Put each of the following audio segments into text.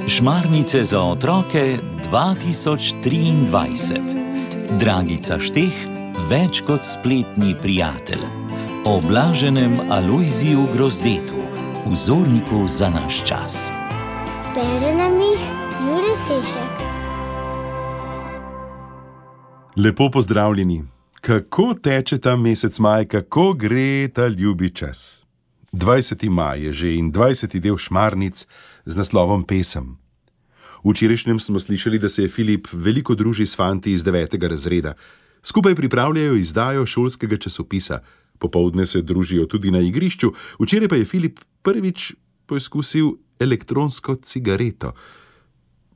Šmarnice za otroke 2023. Dragica Šteh, več kot spletni prijatelj. O blaženem Alojziju Grozdetu, vzorniku za naš čas. Bere nam jih Jure Sešek. Lepo pozdravljeni. Kako teče ta mesec maj, kako gre ta ljubi čas? 20. maj je že in 20. del Šmarnic z naslovom Pesem. V včerajšnjem smo slišali, da se je Filip veliko druži s fanti iz 9. razreda. Skupaj pripravljajo izdajo šolskega časopisa. Popoldne se družijo tudi na igrišču. Včeraj pa je Filip prvič poizkusil elektronsko cigareto.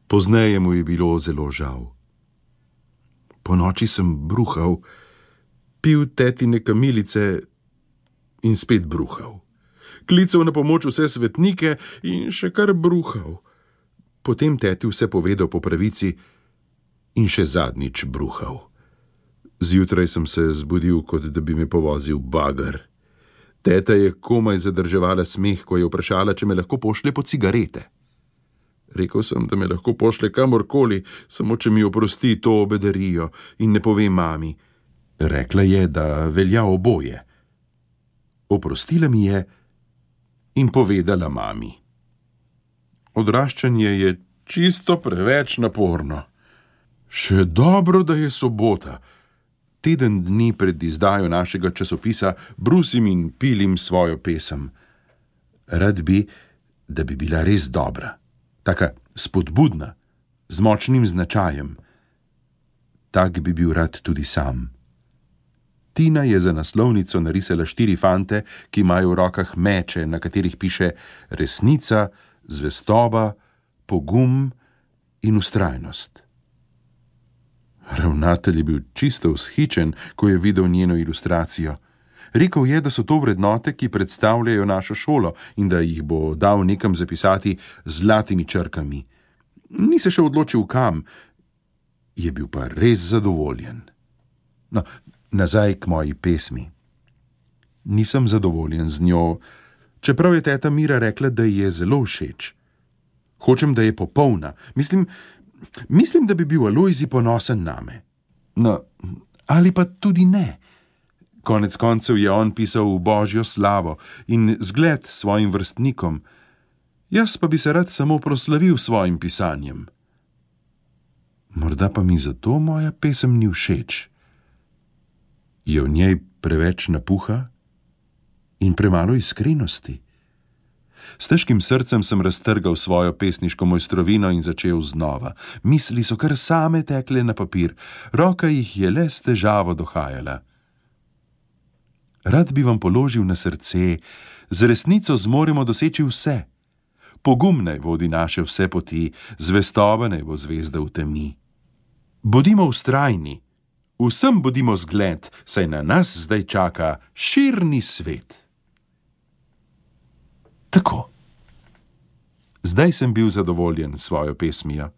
Pozneje mu je bilo zelo žal. Ponoči sem bruhal, pil tetine kamilice in spet bruhal. Klical na pomoč vse svetnike in še kar bruhal. Potem teti vse povedal po pravici in še zadnjič bruhal. Zjutraj sem se zbudil, kot da bi me povozil bager. Teta je komaj zadrževala smeh, ko je vprašala, če me lahko pošlje po cigarete. Rekel sem, da me lahko pošlje kamorkoli, samo če mi oprosti to bedarijo in ne pove mami. Rekla je, da velja oboje. Oprostila mi je in povedala mami. Odraščanje je čisto preveč naporno. Še dobro, da je sobota. Teden dni pred izdajo našega časopisa brusim in pilim svojo pesem. Rad bi, da bi bila res dobra. Taka spodbudna, z močnim značajem. Tak bi bil rad tudi sam. Tina je za naslovnico narisala 4 fante, ki imajo v rokah meče, na katerih piše resnica, zvestoba, pogum in vztrajnost. Ravnatelj je bil čisto vzhičen, ko je videl njeno ilustracijo. Rekel je, da so to vrednote, ki predstavljajo našo šolo in da jih bo dal nekam zapisati z zlatimi črkami. Ni se še odločil kam, je bil pa res zadovoljen. No, nazaj k moji pesmi. Nisem zadovoljen z njo, čeprav je teta Mira rekla, da ji je zelo všeč. Hočem, da je popolna. Mislim, da bi bil Alojzij ponosen name. No, ali pa tudi ne. Konec koncev je on pisal v Božjo slavo in zgled svojim vrstnikom. Jaz pa bi se rad samo proslavil svojim pisanjem. Morda pa mi zato moja pesem ni všeč. Je v njej preveč napuha in premalo iskrenosti? S težkim srcem sem raztrgal svojo pesniško mojstrovino in začel znova. Misli so kar same tekle na papir, roka jih je le s težavo dohajala. Rad bi vam položil na srce, z resnico zmoremo doseči vse. Pogum naj vodi naše vse poti, zvestoba naj bo zvezda v temi. Bodimo vztrajni, vsem bodimo zgled, saj na nas zdaj čaka širni svet. Tako. Zdaj sem bil zadovoljen s svojo pesmijo.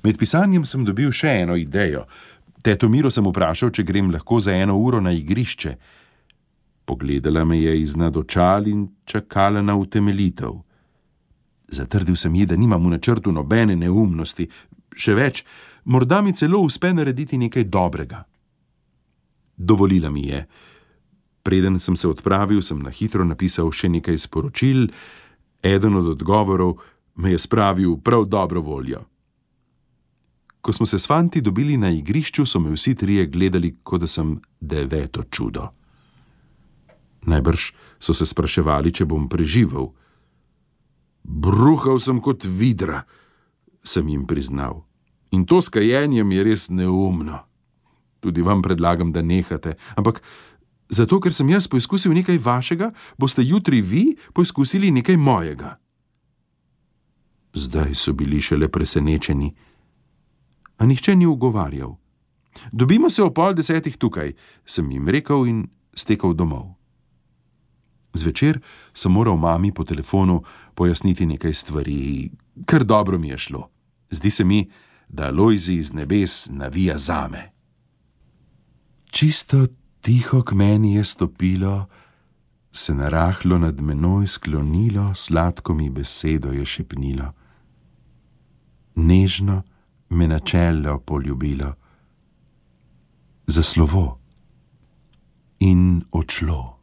Med pisanjem sem dobil še eno idejo. Teto Miro sem vprašal, če grem lahko za 1 uro na igrišče. Pogledala me je iznad očal in čakala na utemeljitev. Zatrdil sem ji, da nimam v načrtu nobene neumnosti. Še več, morda mi celo uspe narediti nekaj dobrega. Dovolila mi je. Preden sem se odpravil, sem na hitro napisal še nekaj sporočil. Eden od odgovorov me je spravil prav dobro voljo. Ko smo se s fanti dobili na igrišču, so me vsi trije gledali, kot da sem 9. čudo. Najbrž so se spraševali, če bom preživel. Bruhal sem kot vidra, sem jim priznal. In to s kajenjem je res neumno. Tudi vam predlagam, da nehate, ampak zato, ker sem jaz poizkusil nekaj vašega, boste jutri vi poizkusili nekaj mojega. Zdaj so bili šele presenečeni, a nihče ni ugovarjal. Dobimo se ob 9:30 tukaj, sem jim rekel in stekel domov. Zvečer sem moral mami po telefonu pojasniti nekaj stvari, kar dobro mi je šlo. Zdi se mi, da Alojzij iz nebes navija zame. Čisto tiho k meni je stopilo se narahlo nad menoj sklonilo, sladko mi besedo je šepnilo. Nežno me na čelo poljubilo, za slovo in odšlo.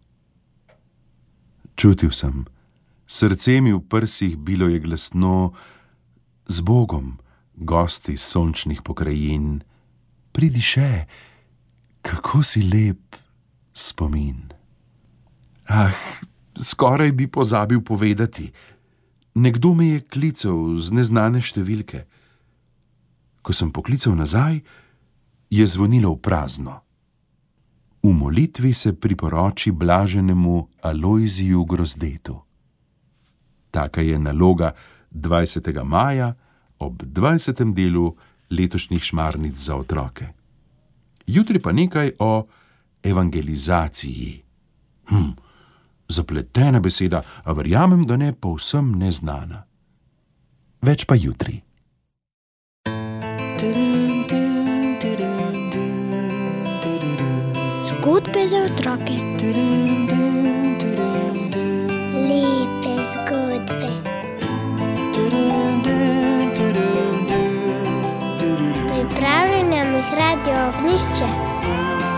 Čutil sem, srce mi v prsih bilo je glasno, z Bogom, gosti sončnih pokrajin, pridi še, kako si lep spomin. Ah, skoraj bi pozabil povedati. Nekdo me je klical z neznane številke. Ko sem poklical nazaj, je zvonilo v prazno. V molitvi se priporoči blaženemu Alojziju Grozdetu. Taka je naloga 20. maja ob 20. delu letošnjih Šmarnic za otroke. Jutri pa nekaj o evangelizaciji. Zapletena beseda, a verjamem, da ne povsem neznana. Več pa jutri. Zgodbe za otroke. Lepe zgodbe. Pripravljena mi Radio Ognjišče.